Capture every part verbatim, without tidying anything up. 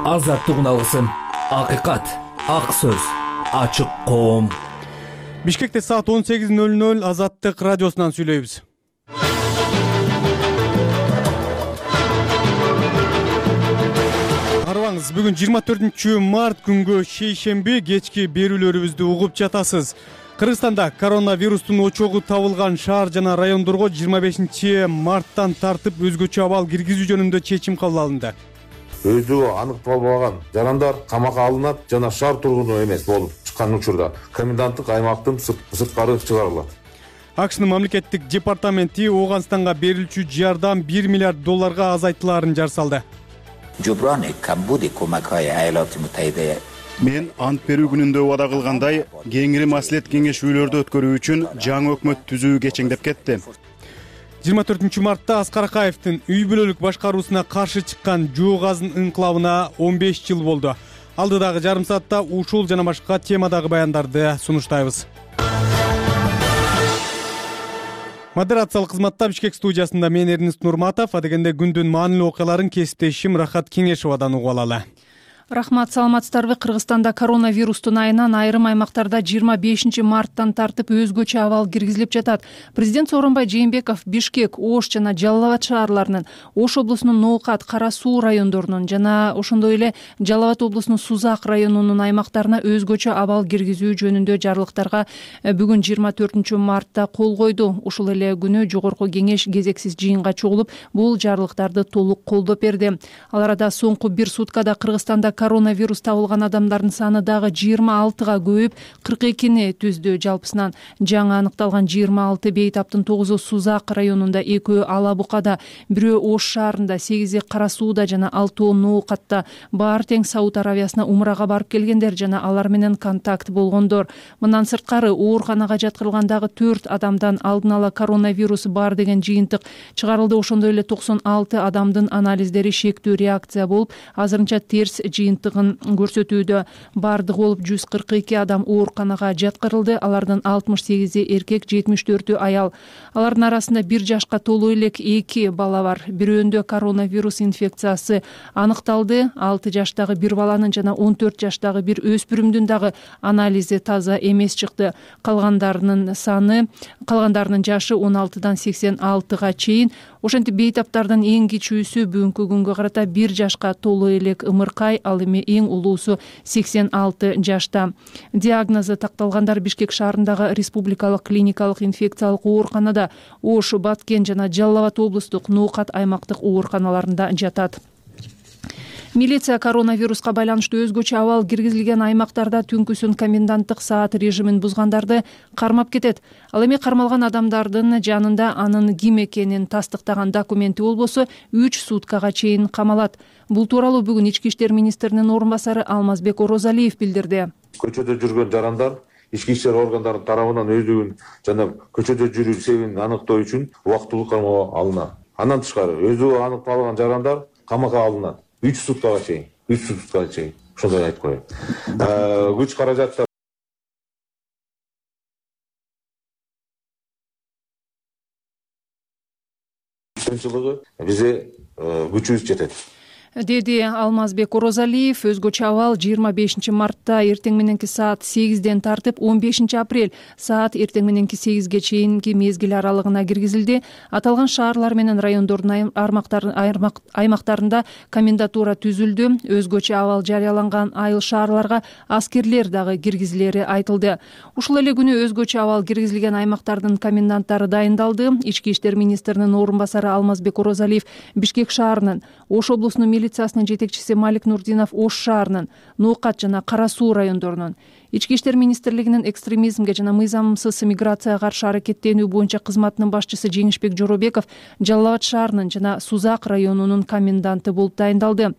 азаттыгын алгысың. Акыйкат, ак сөз, ачык коом. Бишкекте саат он сегиз ноль ноль Азаттык радиосунан сүйлөйбүз. Арыбаңыз, бүгүн жыйырма төртүнчү март күнгө шейшемби кечки берүүлөрүбүздү угуп жатасыз. Кыргызстанда коронавирустун очогу табылган шаар жана райондорго жыйырма бешинчи марттан тартып өзгөчө абал киргизүү жөнүндө чечим кабыл алынды. Өздүгү аныкталбаган жарандар камакка алынат жана шаар тургуну эмес болуп чыккан учурда коменданттык аймактын сырткары чыгарылат. АКШнын мамлекеттик департаменти Ооганстанга берилчү жардам бир миллиард долларга азайтылаарын жар салды. Мен ант берүү күнүндө убада кылгандай кеңири маслихат кеңешүүлөрдү өткөрүү үчүн жаңы өкмөт түзүү кечеңдеп кетти. жыйырма төртүнчү мартта Аскар Акаевдин үй бүлөлүк башкарууна каршы чыккан жоо газын инкылабына он беш жыл болду. Алдыдагы жарым саатта ушул жана башка темадагы баяндарды сунуштайбыз. Модерациялык кызматта Бишкек студиясында мен Эрнест Нурматов, адегенде күндүн маанилүү окуяларын кесиптешим Рахат Кеңешовадан угуп алалы. Рахмат, саламатсыздарбы? Кыргызстанда коронавирустун айынан айрым аймактарда жыйырма бешинчи марттан тартып өзгөчө абал киргизилип жатат. Президент Сооронбай Жээнбеков Бишкек, Ош жана Жалал Абад шаарларынын, Ош облусунун Ноокат, Кара Суу райондорунун жана ошондой эле Жалал Абад облусунун Сузак районунун аймактарына өзгөчө абал киргизүү жөнүндө жарлыктарга бүгүн жыйырма төртүнчү мартта кол койду. Ушул эле күнү жогорку кеңеш кезексиз жыйынга чогулуп, бул жарлыктарды толук колдоп берди. Ал арада соңку бир суткада Кыргызстанда коронавирус табылган адамдардын саны дагы жыйырма алтыга көбөйүп, кырк экини түздү. Жалпысынан жаңы аныкталган жыйырма алты бейтаптын тогузу Сузак районунда, экөө Ала Букада, бирөө Ош шаарында, сегизи Кара Сууда жана алтоо Ноокатта. Баары тең Сауд Аравиясына умрага барып келгендер жана алар менен контакт болгондор. Мындан сырткары ооруканага жаткырылган дагы төрт адамдан алдын ала коронавирус бар деген жыйынтык чыгарылды. Ошондой эле токсон алты адамдын анализдери шектүү реакция болуп, азырынча терс жыйынтыгын көрсөтүүдө. Бардыгы болуп жүз кырк эки адам ооруканага жаткырылды. Алардын алтымыш сегизи эркек, жетимиш төртү аял. Алардын арасында бир жашка толуу элек эки бала бар. Бирөөндө коронавирус инфекциясы аныкталды. алты жаштагы бир баланын жана он төрт жаштагы бир өспүрүмдүн дагы анализи таза эмес чыкты. Калгандарынын саны, калгандарынын жашы он алтыдан сексен алтыга чейин. Ошентип бейтаптардын эң кичүүсү бүгүнкү күнгө карата бир жашка толуу элек Ымыркай, ал эми эң улуусу сексен алты жашта. Диагнозу такталгандар Бишкек шаарындагы республикалык клиникалык инфекциялык ооруканада, Ош, Баткен жана Жалал Абад облустук Ноокат аймактык ооруканаларында жатат. Милиция коронавируска байланыштуу өзгөчө абал киргизилген аймактарда түнкүсүн коменданттык саат режимин бузгандарды кармап кетет. Ал эми кармалган адамдардын жанында анын ким экенин тастыктаган документи болбосо үч суткага чейин камалат. Бул тууралуу бүгүн Ички иштер министринин орун басары Алмазбек Орозалиев билдирди. Көчөдө жүргөн жарандар ички иштер органдарынын тарабынан өздүгүн жана көчөдө жүрүү себебин аныктоо үчүн убактылуу камоого алынат. Андан тышкары өздүгү аныкталган жарандар камакка алынат. үч суткага чейин, үч суткага чейин. Ошондой айтып коеюн. Күч каражаттар сынчылыгы бизге күчүбүз жетет, деди Алмазбек Орозалиев. Өзгөчө абал жыйырма бешинчи мартта эртең мененки саат сегизден тартып он бешинчи апрель саат эртең мененки сегизге чейинки мезгил аралыгына киргизилди. Аталган шаарлар менен райондордун аймактарында комендатура түзүлдү. Өзгөчө абал жарыяланган айыл шаарларга аскерлер дагы киргизилери айтылды. Ушул эле күнү өзгөчө абал киргизилген аймактардын коменданттары дайындалды. Ички иштер министринин орун басары Алмазбек Орозалиев Бишкек шаарынын, Ош облусунун милициясынын жетекчиси Малик Нурдинов Ош шаарынын, Ноокат жана Кара Суу райондорунун, Ички иштер министрлигинин экстремизмге жана мыйзамсыз миграцияга каршы аракеттенүү боюнча кызматынын башчысы Жеңишбек Жоробеков Жалал Абад шаарынын жана Сузак районунун коменданты болуп дайындалды.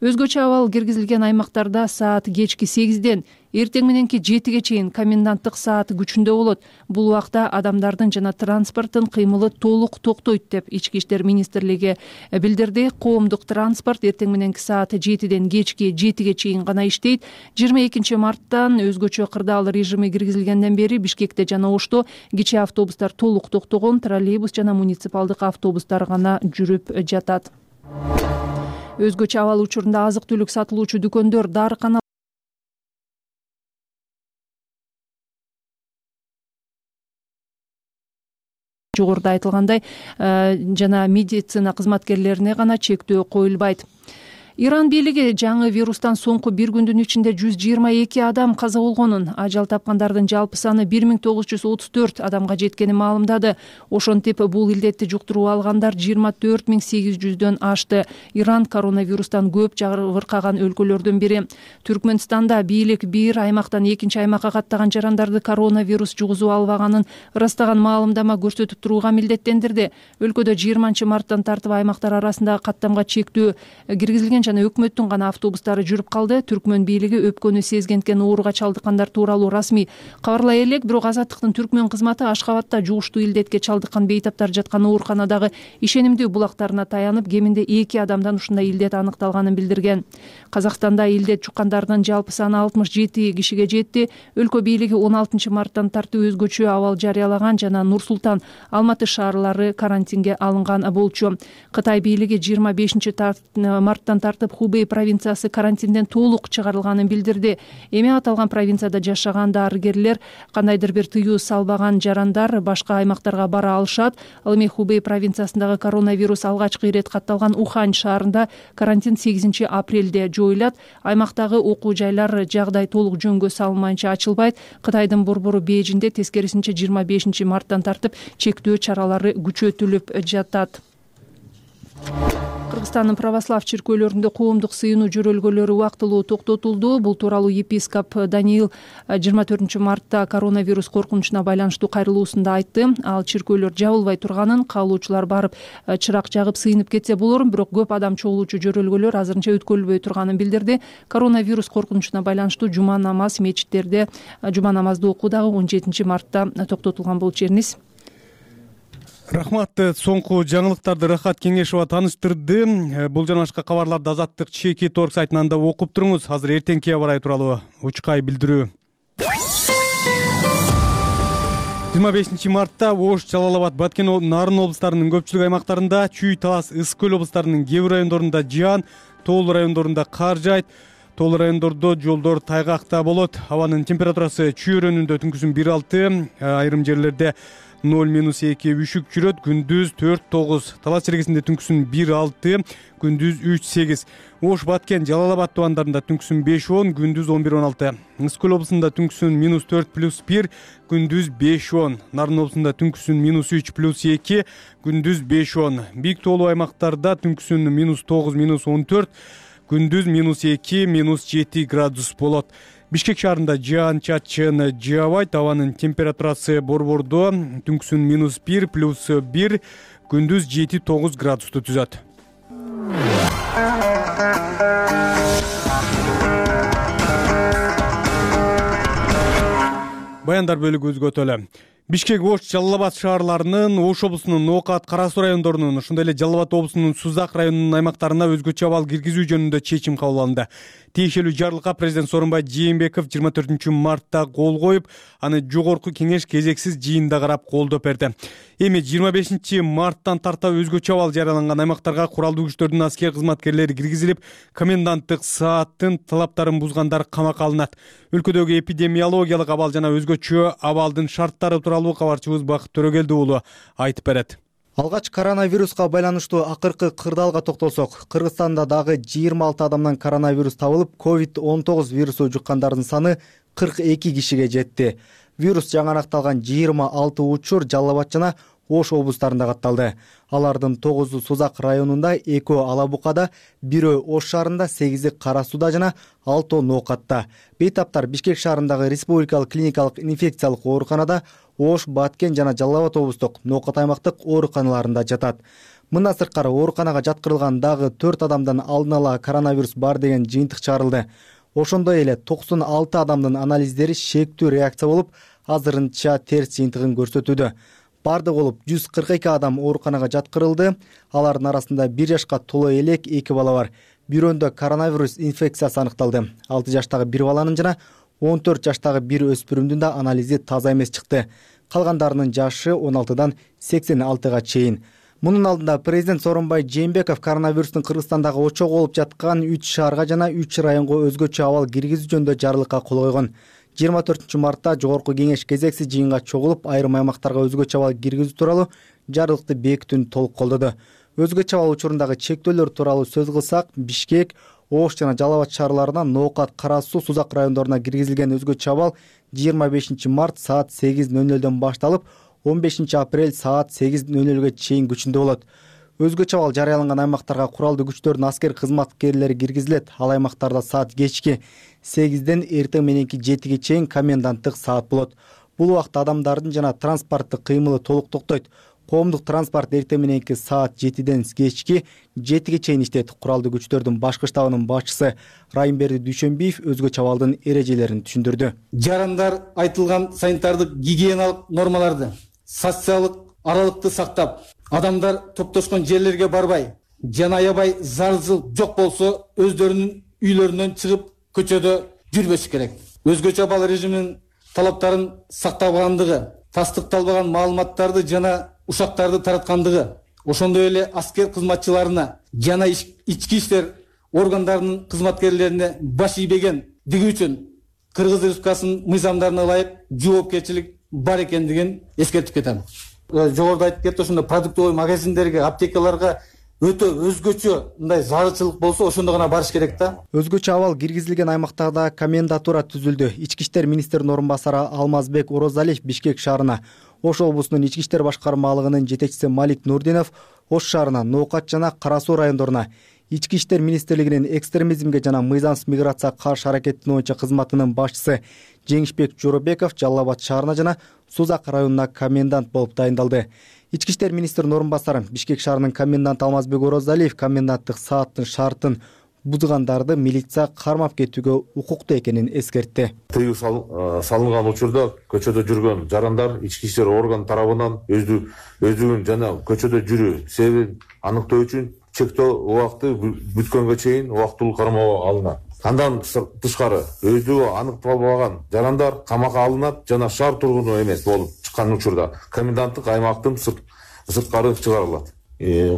Өзгөчө абал киргизилген аймактарда саат кечки сегизден эртең мененки жетиге чейин коменданттык саат күчүндө болот. Бул убакта адамдардын жана транспорттун кыймылы толук токтойт деп Ички иштер министрлиги билдирди. Коомдук транспорт эртең мененки саат жетиден кечки жетиге чейин гана иштейт. жыйырма экинчи марттан өзгөчө кырдаал режими киргизилгенден бери Бишкекте жана Ошто кичи автобустар толук токтогон, троллейбус жана муниципалдык автобустар гана жүрүп жатат. Өзгөчө абал учурунда азык түлүк сатылуучу дүкөндөр, дарыкана жогоруда айтылгандай жана медицина кызматкерлерине гана чектөө коюлбайт. Иран бийлиги жаңы вирустан соңку бир күндүн ичинде жүз жыйырма эки адам каза болгонун, ажал тапкандардын жалпы саны бир миң тогуз жүз отуз төрт адамга жеткенин маалымдады. Ошентип бул илдетти жуктуруп алгандар жыйырма төрт миң сегиз жүздөн ашты. Иран коронавирустан көп жабыркаган өлкөлөрдүн бири. Түркмөнстанда бийлик бир аймактан экинчи аймакка каттаган жарандарды коронавирус жугузуп албаганын ырастаган маалымдама көрсөтүп турууга милдеттендирди. Өлкөдө жыйырманчы марттан тартып аймактар арасындагы каттамга чектөө киргизилген жана өкмөттүн гана автобустары жүрүп калды. Түркмөн бийлиги өпкөнү сезгенткен ооруга чалдыккандар тууралуу расмий кабарлай элек, бирок Азаттыктын Түркмөн кызматы Ашкабадта жугуштуу илдетке чалдыккан бейтаптар жаткан ооруканадагы ишенимдүү булактарына таянып, кеминде эки адамдан ушундай илдет аныкталганын билдирген. Казакстанда илдет жуккандардын жалпы саны алтымыш жети кишиге жетти. Өлкө бийлиги он алтынчы марттан тартып өзгөчө абал жарыялаган жана Нур Султан, Алматы шаарлары карантинге алынган болчу. Кытай бийлиги жыйырма бешинчи марттан тартып Хубей провинциясы карантинден толук чыгарылганын билдирди. Эми аталган провинцияда жашаган дарыгерлер, кандайдыр бир тыюу салбаган жарандар башка аймактарга бара алышат. Ал эми Хубей провинциясындагы коронавирус алгачкы ирет катталган Ухань шаарында карантин сегизинчи апрелде жоюлат. Аймактагы окуу жайлар жагдай толук жөнгө салынмайынча ачылбайт. Кытайдын борбору Бейжинде тескерисинче жыйырма бешинчи марттан тартып чектөө чаралары күчөтүлүп жатат. Кыргызстандын православ чиркөөлөрүндө коомдук сыйынуу жөрөлгөлөрү убактылуу токтотулду. Бул тууралуу епископ Даниил жыйырма төртүнчү мартта коронавирус коркунучуна байланыштуу кайрылуусунда айтты. Ал чиркөөлөр жабылбай турганын, каалоочулар барып чырак жагып сыйынып кетсе болор, бирок көп адам чогулуучу жөрөлгөлөр азырынча өткөрүлбөй турганын билдирди. Коронавирус коркунучуна байланыштуу жума намаз мечиттерде жума намазды окуу дагы он жетинчи мартта токтотулган болчу. Эрниз. Рахмат. Соңку жаңылыктарды Рахат Кеңешова тааныштырды. Бул жана башка кабарларды Азаттык чекит точка орг сайтынан да окуп туруңуз. Азыр эртеңки аба ырайы тууралуу учкай билдирүү. жыйырма бешинчи мартта Ош, Жалал Абад, Баткен, Нарын облустарынын көпчүлүк аймактарында, Чүй, Талас, Ысык көл облустарынын кээ бир райондорунда жаан, Тоол райондорунда кар жаайт. Тоол райондордо жолдор тайгакта болот. Абанын температурасы Чүй районунда түнкүсүн бир алты, айрым жерлерде ноль минус эки үшүк жүрөт, күндүз төрт тогуз. Талас чиркесинде түнкүсүн бир алты, күндүз үч сегиз. Ош, Баткен, Жалал Абад тубандарында түнкүсүн беш он, күндүз он бир он алты. Ысык көл облусунда түнкүсүн минус төрт плюс бир, күндүз беш он. Нарын облусунда түнкүсүн минус үч плюс эки, күндүз беш он. Бийик тоолуу аймактарда түнкүсүн минус тогуз, минус он төрт, күндүз минус эки, минус жети градус болот. Бишкек шаарында жаан чачын жаабайт. Абанын температурасы борбордо түнкүсүн минус бир плюс бир, күндүз жети тогуз градусту түзөт. Баяндар бөлүгү өзгөчө эле. Бишкек, Ош, Жалал Абад шаарларынын, Ош облусунун Ноокат, Кара Суу райондорунун, ошондой эле Жалал Абад облусунун Сузак районунун аймактарына өзгөчө абал киргизүү жөнүндө чечим кабыл алынды. Тиешелүү жарлыкка президент Сооронбай Жээнбеков жыйырма төртүнчү мартта кол коюп, аны жогорку кеңеш кезексиз жыйында карап колдоп берди. Эми жыйырма бешинчи марттан тарта өзгөчө абал жарыяланган аймактарга куралдуу күчтөрдүн аскер кызматкерлери киргизилип, коменданттык сааттын талаптарын бузгандар камакка алынат. Өлкөдөгү эпидемиологиялык абал жана өзгөчө абалдын шарттары тууралуу кабарчыбыз Бакыт Төрөгелди уулу айтып берет. Алгач коронавируска байланыштуу акыркы кырдаалга токтолсок, Кыргызстанда дагы жыйырма алты адамдан коронавирус табылып, ковид он тогуз вирусу жуккандардын саны кырк эки кишиге жетти. Вирус жаңы аныкталган жыйырма алты учур Жалал Абад жана Ош облустарында катталды. Алардын тогузу Сузак районунда, экөө Ала Букада, бирөө Ош шаарында, сегизи Кара Сууда жана алтоо Ноокатта. Бейтаптар Бишкек шаарындагы республикалык клиникалык инфекциялык ооруканада, Ош, Баткен жана Жалал Абад облустук Ноокат аймактык ооруканаларында жатат. Мындан сырткары ооруканага жаткырылган дагы төрт адамдан алдын ала коронавирус бар деген жыйынтык чыгарылды. Ошондой эле токсон алты адамдын анализдери шектүү реакция болуп, азырынча терс жыйынтыгын көрсөтүүдө. Бардык болуп жүз кырк эки адам ооруканага жаткырылды. Алардын арасында бир жашка толо элек эки бала бар. Бирөөндө коронавирус инфекциясы аныкталды. алты жаштагы бир баланын жана он төрт жаштагы бир өспүрүмдүн да анализи таза эмес чыкты. Калгандарынын жашы он алтыдан сексен алтыга чейин. Мунун алдында президент Сооронбай Жээнбеков коронавирустун Кыргызстандагы очогу болуп жаткан үч шаарга жана үч районго өзгөчө абал киргизүү жөнүндө жарлыкка кол койгон. жыйырма төртүнчү мартта Жогорку кеңеш кезексиз жыйынга чогулуп, айрым аймактарга өзгөчө абал киргизүү тууралуу жарлыкты бекитүүнү толук колдоду. Өзгөчө абал учурундагы чектөөлөр тууралуу сөз кылсак, Бишкек, Ош жана Жалал Абад шаарларынан Ноокат, Кара Суу, Сузак райондоруна киргизилген өзгөчө абал жыйырма бешинчи март саат сегиз ноль нөлдөн башталып, он бешинчи апрель саат сегиз ноль нөлгө чейин күчүндө болот. Өзгөчө абал жарыяланган аймактарга куралдуу күчтөрдүн аскер кызматкерлери киргизилет. Ал аймактарда саат кечки сегизден эртең мененки жетиге чейин коменданттык саат болот. Бул убакта адамдардын жана транспорттук кыймылы толук токтойт. Коомдук транспорт эртең мененки саат жетиден кечки жетиге чейин иштейт. Куралдуу күчтөрдүн башкы штабынын башчысы Райымберди Дүйшөнбиев өзгөчө абалдын эрежелерин түшүндүрдү. Жарандар айтылган санитардык гигиеналык нормаларды, социалдык аралыкты сактап, адамдар топтошкон жерлерге барбай жана аябай зарыл жок болсо өздөрүнүн үйлөрүнөн чыгып көчөдө жүрбөшү керек. Өзгөчө абал режиминин талаптарын сактабагандыгы, тастыкталбаган маалыматтарды жана ушактарды тараткандыгы, ошондой эле аскер кызматчыларына жана ички иштер органдарынын кызматкерлерине баш ийбегендиги үчүн Кыргыз Республикасынын мыйзамдарына ылайык жоопкерчилик бар экендигин эскертип кетем. Жогоруда айтып кетти, ошондой продуктовый магазиндерге, аптекаларга өтө өзгөчө мындай зарылчылык болсо ошондо гана барыш керек да. Өзгөчө абал киргизилген аймактарда комендатура түзүлдү. Ички иштер министринин орун басары Алмазбек Орозалиев Бишкек шаарына, Ош облусунун ички иштер башкармалыгынын жетекчиси Малик Нурдинов Ош шаарына, Ноокат жана Кара Суу райондоруна, Ички иштер министрлигинин экстремизмге жана мыйзамсыз миграцияга каршы аракеттенүү боюнча кызматынын башчысы Жеңишбек Жоробеков Жалал Абад шаарына жана Сузак районуна комендант болуп дайындалды. Ички иштер министринин орун басары Бишкек шаарынын коменданты Алмазбек Орозалиев коменданттык сааттын шартын бузгандарды милиция кармап кетүүгө укуктуу экенин эскертти. Тыюу салынган учурда көчөдө жүргөн жарандар ички иштер орган тарабынан өздүгүн жана көчөдө жүрүү себебин аныктоо үчүн чектөө убакыты бүткөнгө чейин убактылуу кармоого алынат. Андан тышкары өздүгү аныкталбаган жарандар камакка алынат жана шаар тургуну эмес болуп чыккан учурда коменданттык аймактын сырткары чыгарылат.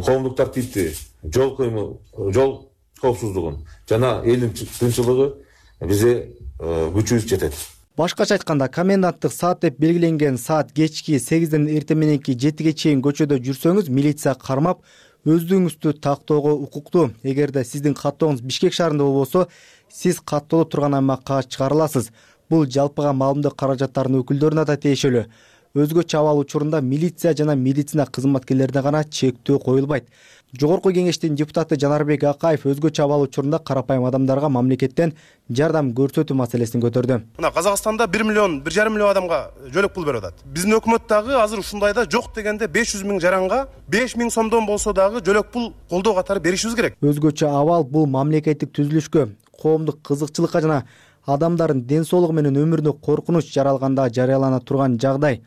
Коомдук тартипти, жол кыймыл, жол коопсуздугун жана элдин тынччылыгы бизге күчүбүз жетет. Башкача айтканда, коменданттык саат деп белгиленген саат кечки сегизден эртең мененки жетиге чейин көчөдө жүрсөңүз, милиция кармап өздүгүңүздү тактоого укуктуу. Эгерде сиздин каттооңуз Бишкек шаарында болбосо, сиз каттооло турган аймакка чыгарыласыз. Бул жалпыга маалымдоо каражаттарынын өкүлдөрүнө да тиешелүү. Өзгөчө абал учурунда милиция жана медицина кызматкерлерине гана чектөө коюлбайт. Жогорку кеңештин депутаты Жанарбек Акаев өзгөчө абал учурунда карапайым адамдарга мамлекеттен жардам көрсөтүү маселесин көтөрдү. Мына Казакстанда бир миллион, бир жарым миллион адамга жөлөк пул берип атат. Биздин өкмөт дагы азыр ушундайда жок дегенде беш жүз миң жаранга беш миң сомдон болсо дагы жөлөк пул колдоо катары беришибиз керек. Өзгөчө абал бул мамлекеттик түзүлүшкө, коомдук кызыкчылыкка жана адамдардын ден соолугу менен өмүрүнө коркунуч жаралганда жарыялана турган жагдай.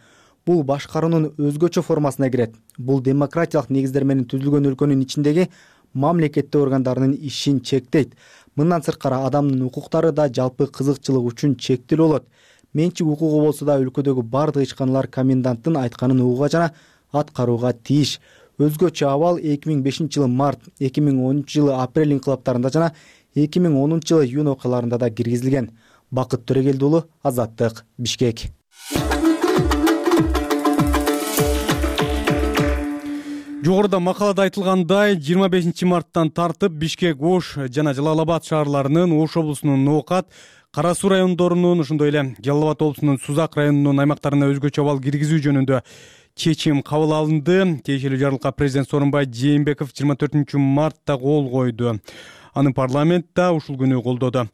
Бул башкаруунун өзгөчө формасына кирет. Бул демократиялык негиздер менен түзүлгөн өлкөнүн ичиндеги мамлекеттик органдарынын ишин чектейт. Мындан сырткары адамдын укуктары да жалпы кызыкчылык үчүн чектелүү болот. Менчик укугу болсо да өлкөдөгү бардык ишканалар коменданттын айтканын угууга жана аткарууга тийиш. Өзгөчө абал эки миң бешинчи жылы март, эки миң онунчу жылы апрель инкылаптарында жана эки миң онунчу жылы июнь окуяларында да киргизилген. Бакыт Төрөгелди уулу, Азаттык, Бишкек. Жогоруда макалада айтылгандай, жыйырма бешинчи марттан тартып Бишкек, Ош жана Жалал Абад шаарларынын, Ош облусунун Ноокат, Кара Суу райондорунун, ошондой эле Жалал Абад облусунун Сузак районунун аймактарына өзгөчө абал киргизүү жөнүндө чечим кабыл алынды. Тиешелүү жарлыкка президент Сооронбай Жээнбеков жыйырма төртүнчү мартта кол койду. Аны парламент да ушул күнү колдоду.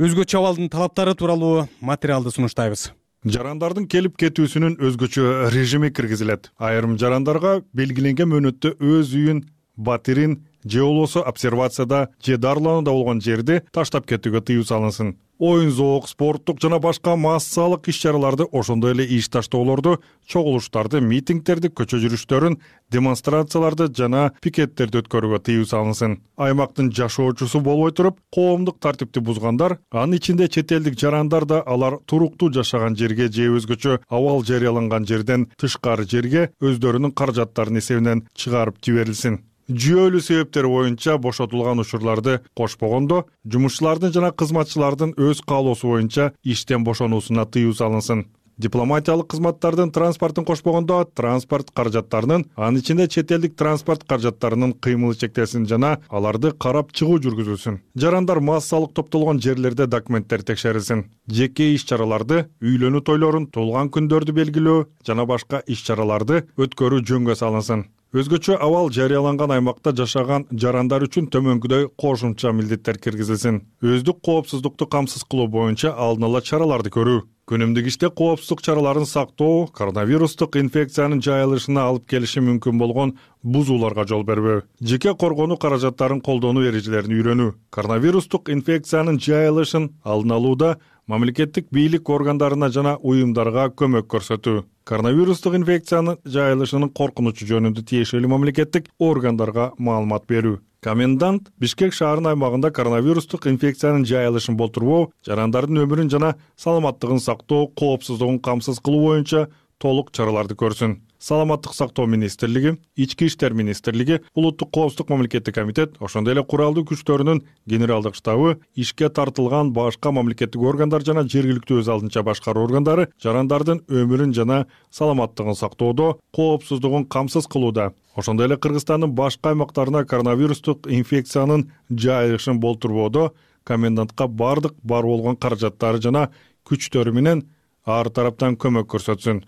Өзгөчө абалдын талаптары тууралуу материалды сунуштайбыз. Жарандардын келип кетүүсүнүн өзгөчө режими киргизилет. Айрым жарандарга белгиленген мөөнөттө өз үйүн, батирин же болбосо обсервацияда же дарыланууда болгон жерди таштап кетүүгө тыюу салынсын. Оюн зоок, спорттук жана башка массалык иш-чараларды, ошондой эле иш таштоолорду, чогулуштарды, митингдерди, көчө жүрүштөрүн, демонстрацияларды жана пикеттерди өткөрүүгө тыюу салынсын. Аймактын жашоочусу болбой туруп, коомдук тартипти бузгандар, анын ичинде чет элдик жарандар да алар туруктуу жашаган жерге же өзгөчө абал жарыяланган жерден тышкары жерге өздөрүнүн каражаттарынын эсебинен чыгарып жиберилсин. Жүйөлүү себептер боюнча бошотулган учурларды кошпогондо, жумушчулардын жана кызматчылардын өз каалоосу боюнча иштен бошонуусуна тыюу салынсын. Дипломатиялык кызматтардын транспортун кошпогондо, транспорт каражаттарынын, анын ичинде чет элдик транспорт каражаттарынын кыймылы чектелсин жана аларды карап чыгуу жүргүзүлсүн. Жарандар массалык топтолгон жерлерде документтер текшерилсин. Жеке иш-чараларды, үйлөнүү тойлорун, туулган күндөрдү белгилөө жана башка иш-чараларды өткөрүү жөнгө салынсын. Өзгөчө абал жарыяланган аймакта жашаган жарандар үчүн төмөнкүдөй кошумча милдеттер киргизилсин. Өздүк коопсуздукту камсыз кылуу боюнча алдын ала чараларды көрүү. Күнүмдүк иште коопсуздук чараларын сактоо, коронавирустук инфекциянын жайылышына алып келиши мүмкүн болгон бузууларга жол бербөө, жеке коргонуу каражаттарын колдонуу эрежелерин үйрөнүү, коронавирустук инфекциянын жайылышын алдын алууда мамлекеттик бийлик органдарына жана уюмдарга көмөк көрсөтүү, коронавирустук инфекциянын жайылышынын коркунучу жөнүндө тиешелүү мамлекеттик органдарга маалымат берүү. Комендант Бишкек шаарынын аймагында коронавирустук инфекциянын жайылышын болтурбоо, жарандардын өмүрүн жана саламаттыгын сактоо, коопсуздугун камсыз кылуу боюнча толук чараларды көрсүн. Саламаттык сактоо министрлиги, Ички иштер министрлиги, Улуттук коопсуздук мамлекеттик комитет, ошондой эле куралдуу күчтөрүнүн генералдык штабы, ишке тартылган башка мамлекеттик органдар жана жергиликтүү өз алдынча башкаруу органдары жарандардын өмүрүн жана саламаттыгын сактоодо, коопсуздугун камсыз кылууда, ошондой эле Кыргызстандын башка аймактарына коронавирустук инфекциянын жайылышын болтурбоодо комендантка бардык бар болгон каражаттары жана күчтөрү менен ар тараптан көмөк көрсөтсүн.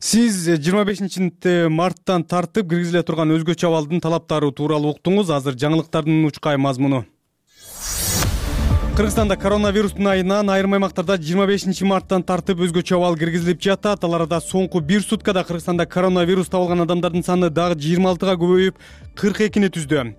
Сиз жыйырма бешинчи марттан тартып киргизиле турган өзгөчө абалдын талаптары тууралуу уктуңуз. Азыр жаңылыктардын учкай мазмуну. Кыргызстанда коронавирустун айынан айрым аймактарда жыйырма бешинчи марттан тартып өзгөчө абал киргизилип жатат. Ал арада соңку бир суткада Кыргызстанда коронавирус табылган адамдардын саны дагы жыйырма алтыга көбөйүп, кырк экини түздү.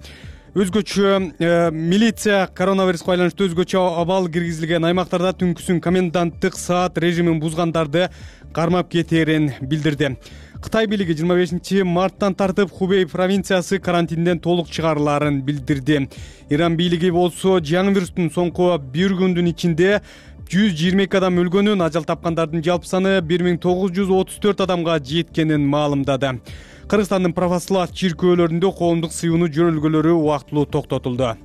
Өзгөчө э, милиция коронавируска байланыштуу өзгөчө абал киргизилген аймактарда түнкүсүн коменданттык саат режимин бузгандарды кармап кетээрин билдирди. Кытай бийлиги жыйырма бешинчи марттан тартып Хубей провинциясы карантинден толук чыгарыларын билдирди. Иран бийлиги болсо жаңы вирустун соңку бир күндүн ичинде жүз жыйырма эки адам өлгөнүн, ажал тапкандардын жалпы саны бир миң тогуз жүз отуз төрт адамга жеткенин маалымдады. Кыргызстандын православ чиркөөлөрүндө коомдук сыйынуу жөнөлгөлөрү убактылуу токтотулду.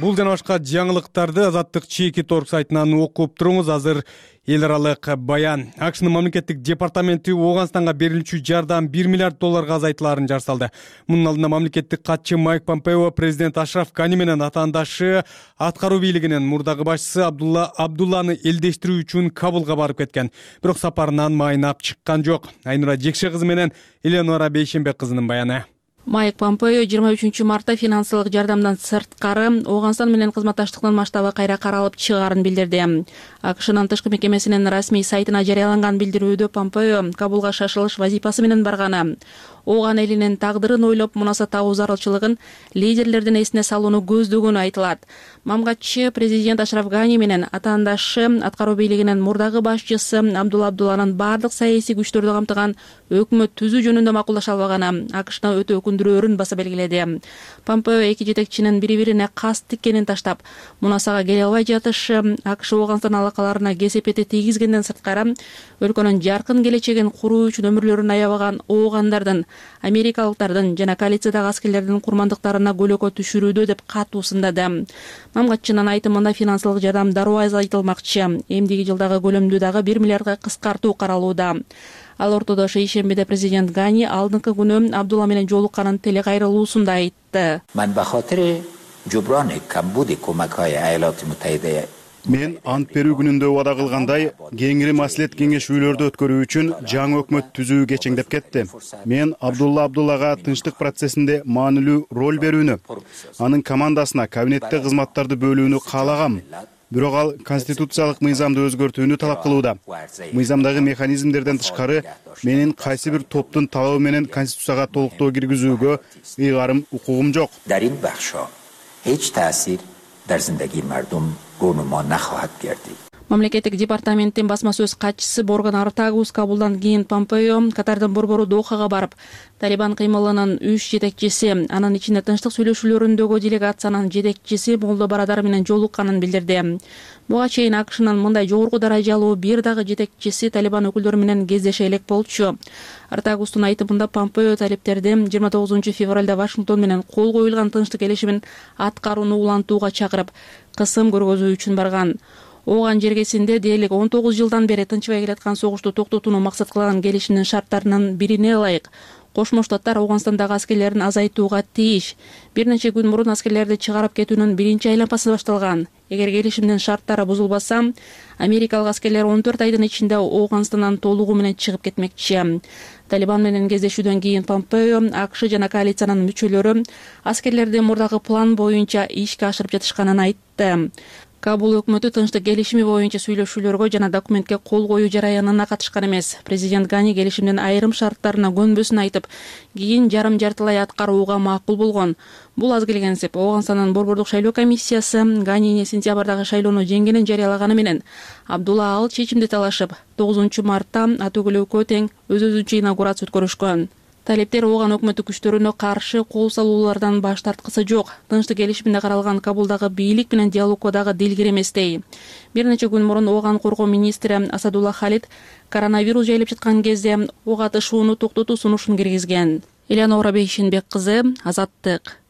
Бул жана башка жаңылыктарды Азаттык чеки торг сайтынан окуп туруңуз. Азыр эл аралык баян. АКШнын мамлекеттик департаменти Ооганстанга берилүүчү жардам бир миллиард долларга азайтыларын жар салды. Мунун алдында мамлекеттик катчы Майк Помпео президент Ашраф Гани менен атаандашы аткаруу бийлигинин мурдагы башчысы Абдулла Абдулланы элдештирүү үчүн Кабулга барып кеткен. Бирок сапарынан майнап чыккан жок. Айнура Жекше кызы менен Эленора Бейшембек кызынын баяны. Майк Помпео жыйырма үчүнчү мартта финансылык жардамдан сырткары Ооганстан менен кызматташтыктын масштабы кайра каралып чыгаарын билдирди. АКШнын тышкы мекемесинин расмий сайтына жарыяланган билдирүүдө Помпео Кабулга шашылыш вазифасы менен барганы, Ооган элинин тагдырын ойлоп мунаса табуу зарылчылыгын лидерлердин эсине салууну көздөгөнү айтылат. Мамгатчы президент Ашраф Гани менен атаандашы аткаруу бийлигинин мурдагы башчысы Абдулла Абдулланын бардык саясий күчтөрдү камтыган өкмөт түзүү жөнүндө макулдаша албаганы АКШны өтө өкүндүрөөрүн баса белгиледи. Помпео эки жетекчинин бири-бирине кас тиккенин таштап, мунасага келе албай жатышы АКШ Ооганстан алакаларына кесепети тийгизгенден сырткары өлкөнүн жаркын келечегин куруу үчүн өмүрлөрүн аябаган оогандардын, америкалыктардын жана коалициядагы аскерлердин курмандыктарына көлөкө түшүрүүдө деп катуу сындады. Мамгатчынын айтымында финансылык жардам дароо азайтылмакчы. Эмдиги жылдагы көлөмдү дагы бир миллиардга кыскартуу каралууда. Ал ортодо шейшембиде президент Гани алдыңкы күнү Абдулла менен жолукканын телекайрылуусунда айтты. Мен ант берүү күнүндө убада кылгандай, кеңири маслихат кеңешүүлөрдү өткөрүү үчүн жаңы өкмөт түзүү кечеңдеп кетти. Мен Абдулла Абдуллага тынчтык процессинде маанилүү роль берүүнү, анын командасына кабинетте кызматтарды бөлүүнү каалагам. бирок ал конституциялык мыйзамды өзгөртүүнү талап кылууда. Мыйзамдагы механизмдерден тышкары менин кайсы бир топтун талабы менен конституцияга толуктоо киргизүүгө ыйгарым укугум жок. Мамлекеттик департаменттин басма сөз катчысы Борган Артагус кабулдан кийин Помпео Катардын борбору Дохага барып, Талибан кыймылынын үч жетекчиси, анын ичинде тынчтык сүйлөшүүлөрүндөгү делегациянын жетекчиси Молдо Барадар менен жолукканын билдирди. Буга чейин АКШнын мындай жогорку даражалуу бир дагы жетекчиси Талибан өкүлдөрү менен кездеше элек болчу. Артагустун айтымында Помпео талиптерди жыйырма тогузунчу февралда Вашингтон менен кол коюлган тынчтык келишимин аткарууну улантууга чакырып, кысым көргөзүү үчүн барган. Ооган жергесинде дээрлик он тогуз жылдан бери тынчыбай келаткан согушту токтотууну максат кылган келишимдин шарттарынын бирине ылайык Кошмо Штаттар Ооганстандагы аскерлерин азайтууга тийиш. Бир нече күн мурун аскерлерди чыгарып кетүүнүн биринчи айланмасы башталган. Эгер келишимдин шарттары бузулбаса, америкалык аскерлер он төрт айдын ичинде Ооганстандан толугу менен чыгып кетмекчи. Талибан менен кездешүүдөн кийин Помпео АКШ жана коалициянын мүчөлөрү аскерлерди мурдагы план боюнча ишке ашырып жатышканын айтты. Кабул өкмөтү тынчтык келишими боюнча сүйлөшүүлөргө жана документке кол коюу жараянына катышкан эмес. Президент Гани келишимдин айрым шарттарына көнбөсүн айтып, кийин жарым жартылай аткарууга макул болгон. Бул аз келгенсип, Ооганстандын борбордук шайлоо комиссиясы Ганини сентябрдагы шайлоону жеңгенин жарыялаганы менен Абдулла ал чечимди талашып, тогузунчу мартта ат өгүлүүгө тең өз-өзүнчө инаугурация өткөрүшкөн. Талиптер Ооган өкмөтү күчтөрүнө каршы кол салуулардан баш тарткысы жок. Тынчтык келишиминде каралган Кабулдагы бийлик менен диалогго дагы дилгир эместей. Бир нече күн мурун Ооган коргоо министри Асадулла Халид коронавирус жайылып жаткан кезде ок атышууну токтотуу сунушун киргизген. Элеонора Бейшенбек кызы, Азаттык.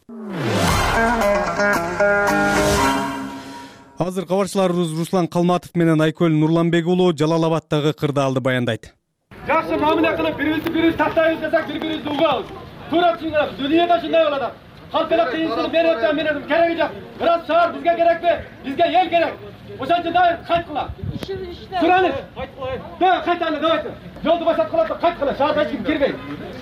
Азыр кабарчыларыбыз Руслан Калматов менен Айкөл Нурланбек уулу Жалал Абадтагы кырдаалды баяндайт. Жакшы мамиле кылып, бири-бирибизди бири тактайбыз десек, бири-бирибизди угабыз. Туура түшүнөбүз. Дүйнөдө ушундай болот. Халк эле кыйынчылык мен өтөм, мен өтөм, кереги жок. Бирок шаар бизге керекпи? Бизге эл керек. Ошончо дайыр кайткыла. Тураңыз. Да, кайталы, давайте. Жолду башаткыла, кайткыла. Шаарга эч ким кирбейт.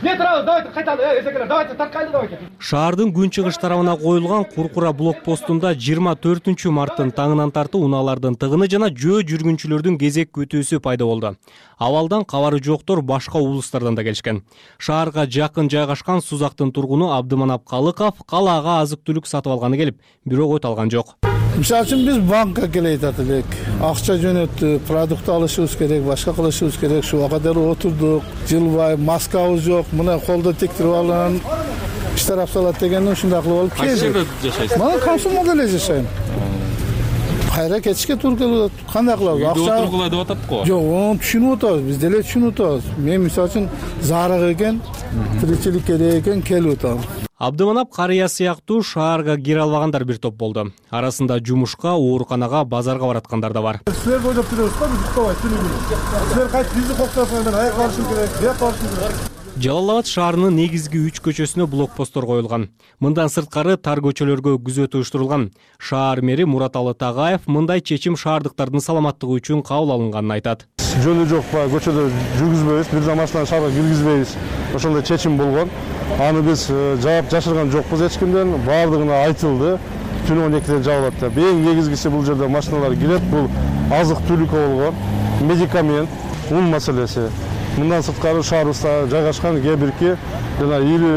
Не турабыз, давайте кайталы, эсекелер, давайте тарткайлы, давайте. Шаардын күнчыгыш тарабына коюлган Куркура блокпостунда жыйырма төртүнчү марттын таңынан тартып унаалардын тыгыны жана жөө жүргүнчүлөрдүн кезек күтүүсү пайда болду. Абалдан кабары жоктор башка облустардан да келишкен. Шаарга жакын жайгашкан Сузактын тургуну Абдыманап Калыков калаага азык-түлүк сатып алганы келип, бирок өтө алган жок. Мисалы үчүн биз банкка келет элек, акча жөнөттүк, продукт алышыбыз керек, башка кылышыбыз керек. Ушуга кадер отурдук, жылбай, маскабыз жок, мына колдо тектирип алган иштер салат дегенден ушундай кылып алып келдик. Кайсы жерде жашайсыз? Мына Комсомолдо эле жашайм. Кайра кетишке туура келип атат. Кандай кылабыз? Акча отургула деп атат го. Жок, оны түшүнүп атабыз. Биз деле түшүнүп атабыз. Мен мисалы үчүн зарык экен, тиричилик керек экен, келип атам. Абдыманап карыя сыяктуу шаарга кире албагандар бир топ болду. Арасында жумушка, ооруканага, базарга бараткандар да бар. Силер бойлоп жүрөбүз го, биз уктабай түнүгүн. Силер кайтып бизди коктосоңдар, аяк барышың керек, бияк барышың керек. Жалал Абад шаарынын негизги үч көчөсүнө блокпосттор коюлган. Мындан сырткары тар көчөлөргө күзөт уюштурулган. Шаар мэри Мураталы Тагаев мындай чечим шаардыктардын саламаттыгы үчүн кабыл алынганын айтат. Жолу жок баягы көчөдө жүргүзбөйбүз, бир да машинаны шаарга киргизбейбиз. Ошондой чечим болгон. Аны биз жаап жашырган жокпуз эч кимден, баардыгына айтылды. Түнү он экиде жабылат деп. Эң негизгиси бул жерде машиналар кирет, бул азык-түлүк болгон, медикамент, ун маселеси. Мындан сырткары шаарыбызда жайгашкан кээ бирки жана ири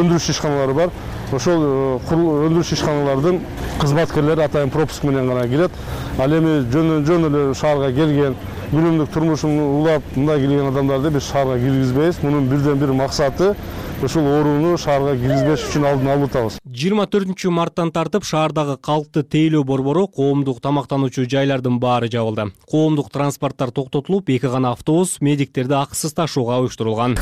өндүрүш ишканалары бар. Ошол өндүрүш ишканалардын кызматкерлери атайын пропуск менен гана кирет. Ал эми жөн-жөн эле шаарга келген, күнүмдүк турмушун улап мындай келген адамдарды биз шаарга киргизбейбиз. Мунун бирден бир максаты ушул ооруну шаарга киргизбеш үчүн алдын алып атабыз. жыйырма төртүнчү марттан тартып шаардагы калкты тейлөө борбору, коомдук тамактануучу жайлардын баары жабылды. Коомдук транспорттор токтотулуп, эки гана автобус медиктерди акысыз ташууга уюштурулган.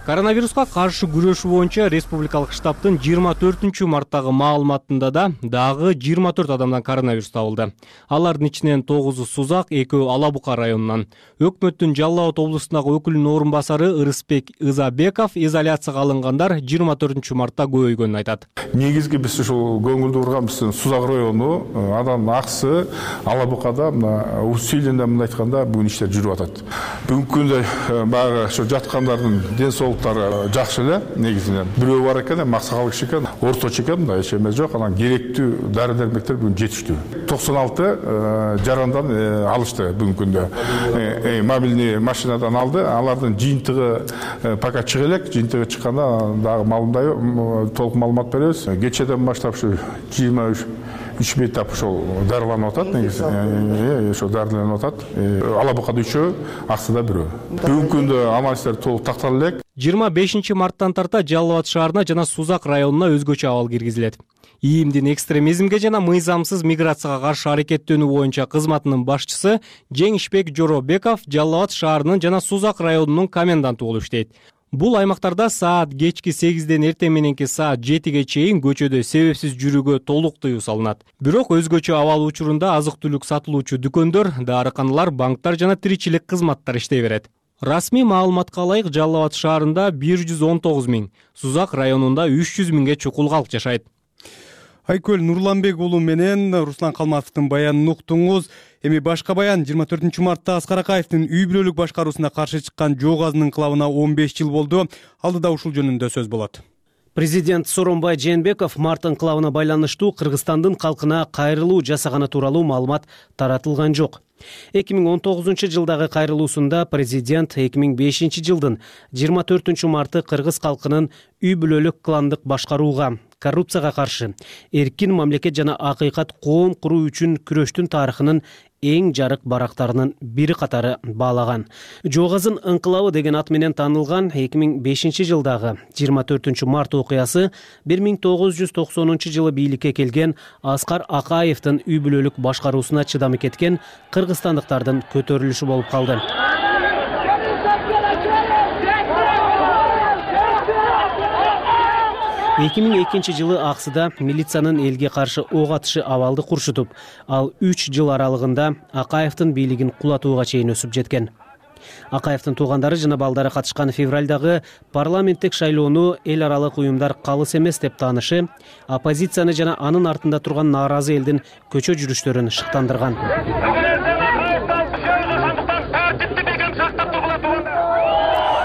Коронавируска каршы күрөшүү боюнча республикалык штабтын жыйырма төртүнчү марттагы маалыматында да дагы жыйырма төрт адамдан коронавирус табылды. Алардын ичинен тогузу Сузак, экөө Ала Бука районунан. Өкмөттүн Жалал Абад облусундагы өкүлүнүн орун басары Ырысбек Ызабеков изоляцияга алынгандар жыйырма төртүнчү мартта көбөйгөнүн айтат. Негизги биз ушул көңүлдү бурган биздин Сузак району, анан Аксы, Ала Букада, мына Усилинде мындай айтканда бүгүн иштер жүрүп атат. Бүгүнкү күндө баягы ошо жаткандардын ден соолугу психологдор жакшы эле негизинен. Бирөө бар экен, максакал киши экен, орточо экен, мындай эч эме жок. Анан керектүү дары дармектер бүгүн жетиштүү. токсон алты жарандан алышты бүгүнкү күндө. Мобильный машинадан алды. Алардын жыйынтыгы пока чыга элек. Жыйынтыгы чыкканда дагы маалымдай толук маалымат беребиз. Кечеден баштап ушу жыйырма үч беттап ошол дарыланып атат негизи. Ошол дарыланып атат. Алабукада үчөө, Аксыда бирөө. Бүгүнкү күндө амалсыздар толук тактала элек. жыйырма бешинчи марттан тарта Жалал Абад шаарына жана Сузак районуна өзгөчө абал киргизилет. ИИМдин экстремизмге жана мыйзамсыз миграцияга каршы аракеттенүү боюнча кызматынын башчысы Жеңишбек Жоробеков Жалал Абад шаарынын жана Сузак районунун коменданты болуп иштейт. Бул аймактарда саат кечки сегизден эртең мененки саат жетиге чейин көчөдө себепсиз жүрүүгө толук тыюу салынат. Бирок өзгөчө абал учурунда азык-түлүк сатылуучу дүкөндөр, дарыканалар, банктар жана тиричилик кызматтар иштей берет. Расмий маалыматка ылайык Жалал Абад шаарында бир жүз он тогуз миң, Сузак районунда үч жүз миңге чукул калк жашайт. Айкөл Нурланбек уулу менен Руслан Калматовдун баянын уктуңуз. Эми башка баян жыйырма төртүнчү мартта Аскар Акаевдин үй бүлөлүк башкаруусуна каршы чыккан жоо газынын кылабына он беш жыл болду. Алдыда ушул жөнүндө сөз болот. Президент Сооронбай Жээнбеков март инкылабына байланыштуу Кыргызстандын калкына кайрылуу жасаганы тууралуу маалымат таратылган жок. эки миң он тогузунчу жылдагы кайрылуусунда президент эки миң бешинчи жылдын жыйырма төртүнчү марты кыргыз калкынын үй бүлөлүк кландык башкарууга, коррупцияга каршы эркин мамлекет жана акыйкат коом куруу үчүн күрөштүн тарыхынын эң жарык барактарынын бири катары баалаган. Жоо газын инкылабы деген ат менен таанылган эки миң бешинчи жылдагы жыйырма төртүнчү март окуясы бир миң тогуз жүз токсонунчу жылы бийликке келген Аскар Акаевдин үй бүлөлүк башкаруусуна чыдамы кеткен кыргызстандыктардын көтөрүлүшү болуп калды. эки миң экинчи жылы Аксыда милициянын элге каршы ок атышы абалды куршутуп, ал үч жыл аралыгында Акаевдин бийлигин кулатууга чейин өсүп жеткен. Акаевдин туугандары жана балдары катышкан февралдагы парламенттик шайлоону эл аралык уюмдар калыс эмес деп таанышы, оппозицияны жана анын артында турган нааразы элдин көчө жүрүштөрүн шыктандырган.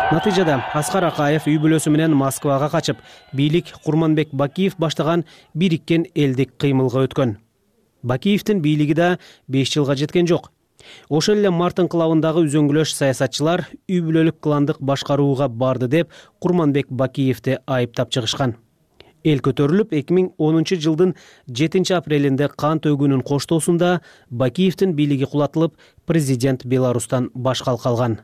Натыйжада Аскар Акаев үй бүлөсү менен Москвага качып, бийлик Курманбек Бакиев баштаган бириккен элдик кыймылга өткөн. Бакиевдин бийлиги да беш жылга жеткен жок. Ошол эле март инкылабындагы үзөңгүлөш саясатчылар үй бүлөлүк кландык башкарууга барды деп Курманбек Бакиевди айыптап чыгышкан. Эл көтөрүлүп, эки миң онунчу жылдын жетинчи апрелинде кан төгүүнүн коштоосунда Бакиевдин бийлиги кулатылып, президент Беларустан баш калкалган.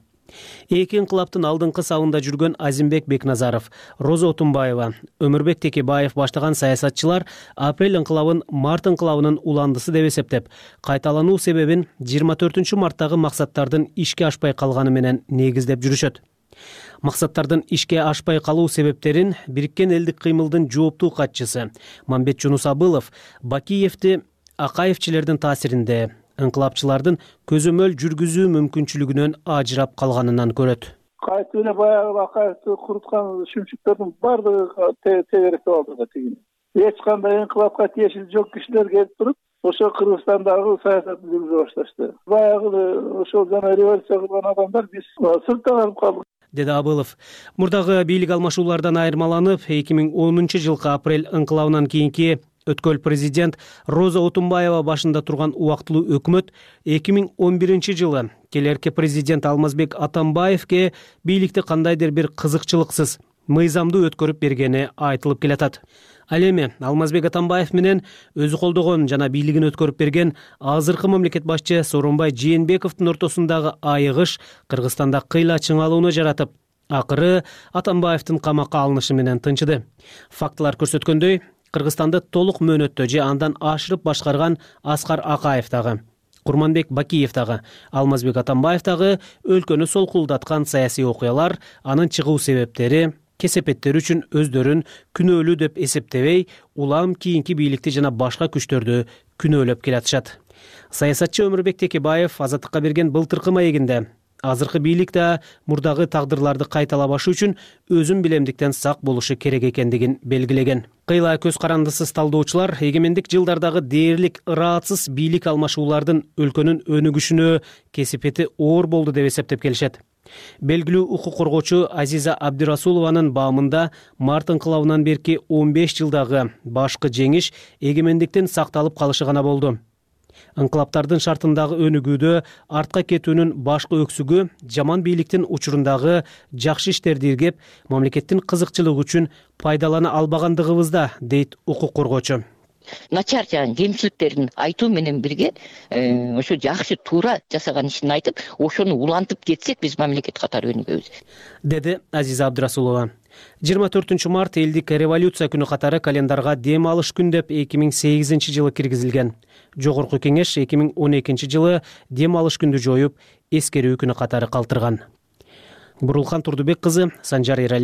Эки инкылаптын алдыңкы сабында жүргөн Азимбек Бекназаров, Роза Отунбаева, Өмүрбек Текебаев баштаган саясатчылар апрель инкылабын март инкылабынын уландысы деп эсептеп, кайталануу себебин жыйырма төртүнчү марттагы максаттардын ишке ашпай калганы менен негиздеп жүрүшөт. Максаттардын ишке ашпай калуу себептерин бириккен элдик кыймылдын жооптуу катчысы Мамбет Жунусабылов Бакиевди Акаевчилердин таасиринде инкылапчылардын көзөмөл жүргүзүү мүмкүнчүлүгүнөн ажырап калганынан көрөт. Кайтып эле баягы Акаевди куруткан шүмчүктөрдүн бардыгы тегеректеп алды да тигини. Эч кандай инкылапка тиешеси жок кишилер келип туруп, ошо Кыргызстандагы саясатты жүргүзө башташты. Баягы ошол жана революция кылган адамдар биз сыртта калып калдык, деди Абылов. Мурдагы бийлик алмашуулардан айырмаланып, эки миң онунчу жылкы апрель инкылабынан кийинки өткөл президент Роза Отунбаева башында турган убактылуу өкмөт эки миң он биринчи жылы келерки президент Алмазбек Атамбаевге бийликти кандайдыр бир кызыкчылыксыз, мыйзамдуу өткөрүп бергени айтылып келатат. Ал эми Алмазбек Атамбаев менен өзү колдогон жана бийлигин өткөрүп берген азыркы мамлекет башчы Сооронбай Жээнбековдун ортосундагы айыгыш Кыргызстанда кыйла чыңалууну жаратып, акыры Атамбаевдин камакка алынышы менен тынчыды. Фактылар көрсөткөндөй, Кыргызстанды толук мөөнөттө же андан ашырып башкарган Аскар Акаев дагы, Курманбек Бакиев дагы, Алмазбек Атамбаев дагы өлкөнү солкулдаткан саясий окуялар, анын чыгуу себептери, кесепеттери үчүн өздөрүн күнөөлүү деп эсептебей, улам кийинки бийликти жана башка күчтөрдү күнөөлөп келатышат. Саясатчы Өмүрбек Текебаев Азаттыкка берген былтыркы маегинде азыркы бийлик да мурдагы тагдырларды кайталабашы үчүн өзүн билемдиктен сак болушу керек экендигин белгилеген. Кыйла көз карандысыз талдоочулар эгемендик жылдардагы дээрлик ыраатсыз бийлик алмашуулардын өлкөнүн өнүгүшүнө кесепети оор болду деп эсептеп келишет. Белгилүү укук коргоочу Азиза Абдирасулованын баамында март ыңкылабынан берки он беш жылдагы башкы жеңиш эгемендиктин сакталып калышы гана болду. Ыңкылаптардын шартындагы өнүгүүдө артка кетүүнүн башкы өксүгү жаман бийликтин учурундагы жакшы иштерди иргеп, мамлекеттин кызыкчылыгы үчүн пайдалана албагандыгыбызда, дейт укук коргоочу. Начар жагын, кемчиликтерин айтуу менен бирге ошо жакшы туура жасаган ишин айтып, ошону улантып кетсек, биз мамлекет катары өнүгөбүз, деди Азиза Абдирасулова. жыйырма төртүнчү март элдик революция күнү катары календарга дем алыш күн деп эки миң сегизинчи жылы киргизилген. Жогорку кеңеш эки миң он экинчи жылы дем алыш күндү жоюп, эскерүү күнү катары калтырган. Бурулхан Турдубек кызы, Санжар Эралиев.